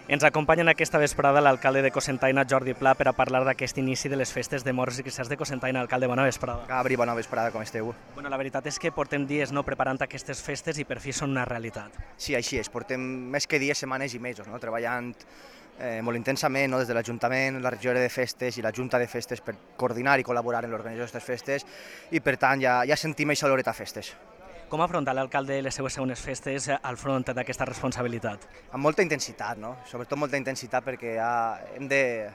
Ens acompanya en aquesta vesprada l'alcalde de Cocentaina, Jordi Pla, per a parlar d'aquest inici de les festes de Morts i Cristians de Cocentaina. Alcalde, bona vesprada. Gabri, bona vesprada, com esteu? La veritat és que portem dies preparant aquestes festes i per fi són una realitat. Sí, així és, portem més que dies, setmanes i mesos, treballant molt intensament des de l'Ajuntament, la regidora de festes i la Junta de festes per coordinar i col·laborar en l'organització d'aquestes festes i per tant ja sentim aquesta oloreta a festes. Com afronta l'alcalde les seues segones festes al front d'aquesta responsabilitat? Amb molta intensitat, sobretot molta intensitat perquè hem de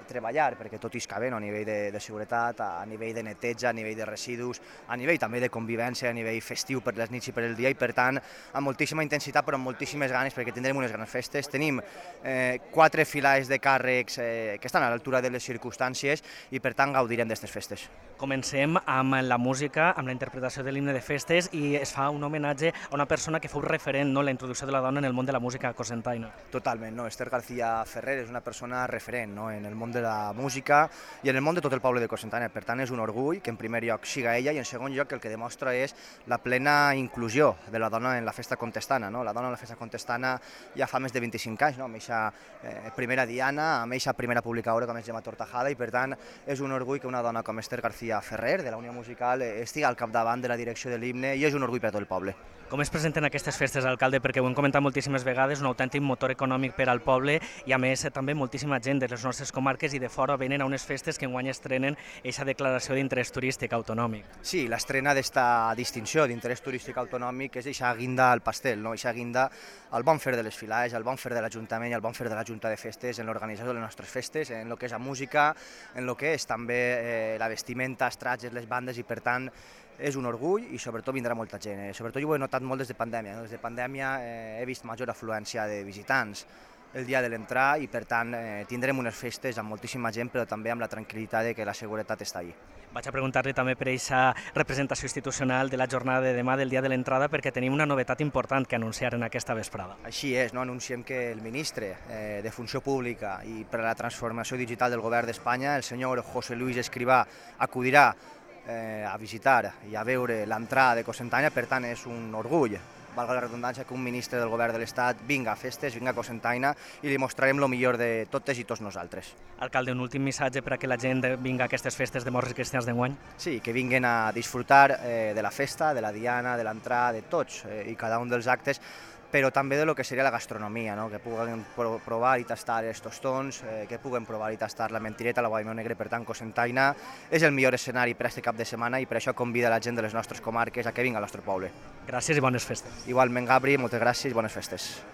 treballar perquè tot isca bé, a nivell de seguretat, a nivell de neteja, a nivell de residus, a nivell també de convivència, a nivell festiu per les nits i per el dia i per tant amb moltíssima intensitat però amb moltíssimes ganes perquè tindrem unes grans festes. Tenim 4 filades de càrrecs que estan a l'altura de les circumstàncies i per tant gaudirem d'aquestes festes. Comencem amb la música, amb la interpretació de l'himne de festes i es fa un homenatge a una persona que fou referent, la introducció de la dona en el món de la música cocentaina. Totalment, Esther García Ferrer és una persona referent en el món de la música i en el món de tot el poble de Cocentaina. Per tant, és un orgull que en primer lloc siga ella i en segon lloc el que demostra és la plena inclusió de la dona en la festa contestana. La dona en la festa contestana ja fa més de 25 anys, amb aquesta primera diana, amb aquesta primera publicadora com és Gemma Tortajada i per tant és un orgull que una dona com Esther García Ferrer de la Unió Musical estigui al capdavant de la direcció de l'himne i és un orgull per a tot el poble. Com es presenten aquestes festes, alcalde? Perquè ho hem comentat moltíssimes vegades, un autèntic motor econòmic per al poble i a més també moltíssima gent de les nostres comarques i de fora venen a unes festes que enguany estrenen aquesta declaració d'interès turístic autonòmic. Sí, l'estrena d'esta distinció d'interès turístic autonòmic és aquesta guinda al pastel, aquesta guinda al bon fer de les filades, al bon fer de l'Ajuntament i al bon fer de la Junta de Festes en l'organització de les nostres festes, en el que és la música, en el que és també la vestimenta, els tratges, les bandes i per tant és un orgull i sobretot vindrà molta gent. Sobretot jo ho he notat molt des de pandèmia. Des de pandèmia he vist major afluència de visitants el dia de l'entrar i per tant tindrem unes festes amb moltíssima gent però també amb la tranquil·litat de que la seguretat està allí. Vaig a preguntar-li també per aquesta representació institucional de la jornada de demà del dia de l'entrada perquè tenim una novetat important que anunciar en aquesta vesprada. Així és, anunciem que el ministre de Funció Pública i per a la transformació digital del Govern d'Espanya, el senyor José Luis Escrivá, acudirà a visitar i a veure l'entrada de Cocentaina, per tant és un orgull, valga la redundància, que un ministre del Govern de l'Estat vinga a festes, vinga a Cocentaina i li mostrarem el millor de totes i tots nosaltres. Alcalde, un últim missatge per a que la gent vinga a aquestes festes de Morts i Cristians d'enguany? Sí, que vinguin a disfrutar de la festa, de la diana, de l'entrada, de tots i cada un dels actes, però també de lo que seria la gastronomia, que puguen provar i tastar els tostons, que puguen provar i tastar la mentireta, la guaimeu negre. Per tant, Cocentaina és el millor escenari per a aquest cap de setmana i per això convida la gent de les nostres comarques a que vinga al nostre poble. Gràcies i bones festes. Igualment, Gabri, moltes gràcies i bones festes.